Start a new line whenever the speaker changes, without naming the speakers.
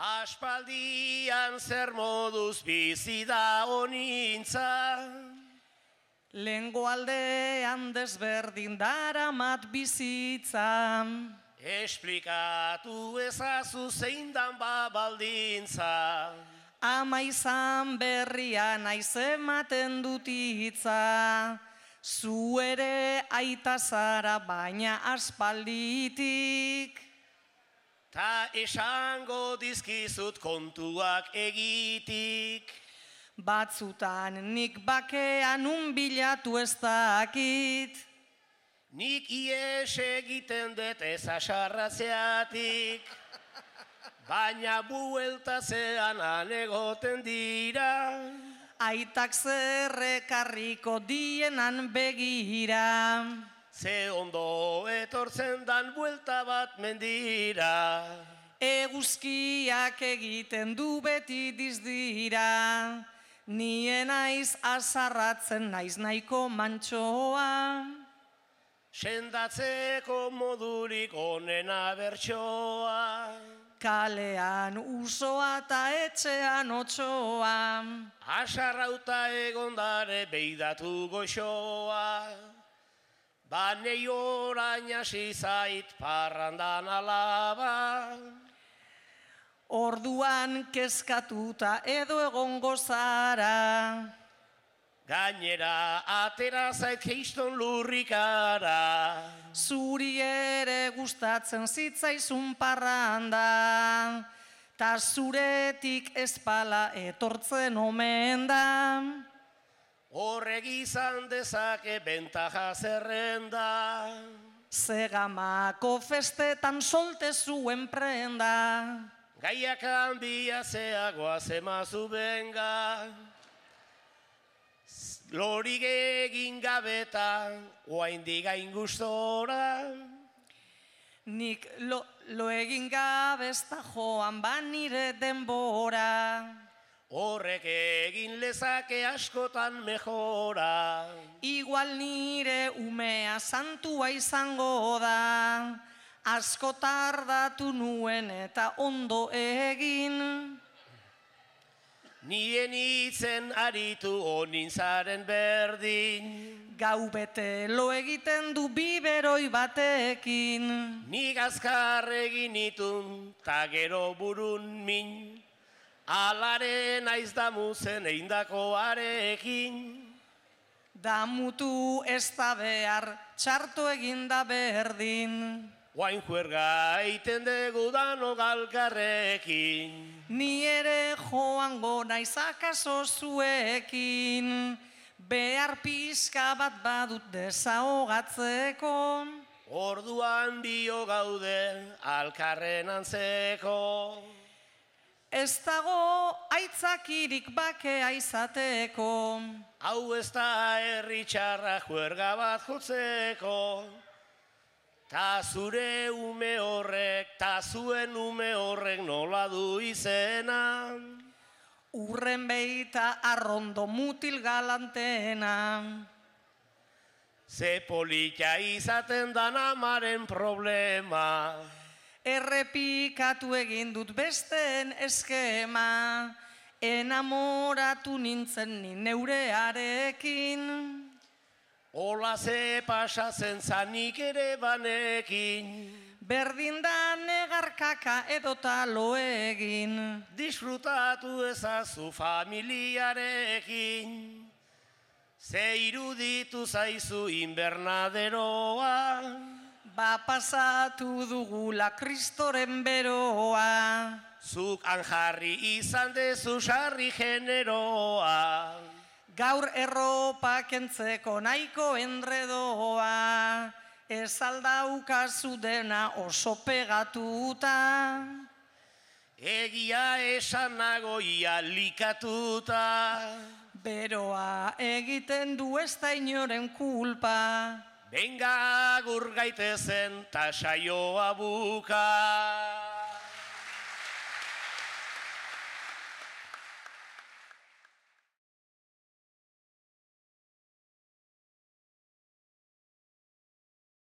Aspaldian zer moduz bizi da honintza.
Lehengo aldean desberdin daramat bizitza.
Esplikatu ezazu zein dan baldintza.
Ama izan berria naiz ematen dut hitza. Zu ere aita zara baina aspalditik.
Ta esango dizkizut kontuak egitik.
Batzutan nik bakean bilatu ez dakit.
Nik ies egiten dut ez asarratzeatik. Baina bueltatzean anegoten dira.
Aitak zerrekarriko dienan begira.
Ze ondo etortzen dan buelta bat mendira.
Eguzkiak egiten du beti dizdira. Nien naiz azarratzen naiz nahiko mantsoa.
Sendatzeko modurik onena bertsoa.
Kalean usoa eta etxean otsoa.
Asarrauta egondare beidatu goxoa. Banei orain hasi zait parrandan alaba.
Orduan kezkatuta edo egongo zara.
Gainera atera zait keiston lurrikara.
Zuri ere gustatzen zitzaizun parranda. Ta zuretik ezpala etortzen omen da.
Horrek izan dezake bentaja zerrenda.
Zegamako festetan solte zuen prenda.
Gaiak hanbiatzeagoa zemazu benga. Lorik egin gabetan, oaindik gain gustora.
Nik lo egin gabezta joan nire denbora.
Horrek egin lezake askotan mejora.
Igual nire umea santua izango da. Asko tardatu nuen eta ondo egin.
Nien itzen aritu onintzaren berdin.
Gau bete lo egiten du biberoi batekin.
Nik azkar egin itun, ta gero burun min. Alaren aiz damuzen eindakoarekin.
Damutu ez da behar, txarto eginda berdin.
Oain juerga eiten dugu dano galkarrekin.
Ni ere joango naiz akaso zuekin. Behar pixka bat badut desahogatzeko.
Orduan bio gaude alkarren antzeko.
Ez dago aitzakirik bakea izateko.
Hau ez da herri txarra juerga bat jotzeko. Ta zure ume horrek, ta zuen ume horrek nola du izena.
Urren beita arrondo mutil galantena.
Ze polita izaten dan amaren problema.
Errepikatu egin dut besteen eskema. Enamoratu nintzen ni neurearekin.
Ola ze pasatzen zanik ere banekin.
Berdin da negarkaka edota lo egin.
Disfrutatu ezazu familiarekin. Ze iruditu zaizu inbernaderoa.
Ba pasatu dugula kristoren beroa.
Zuk anjarri izan dezu sarri generoa.
Gaur erropa kentzeko nahiko enredoa. Ez aldaukazu dena oso pegatuta.
Egia esan nagoia likatuta.
Beroa egiten du ez da inoren kulpa.
Benga agur gaitezen ta saioa buka.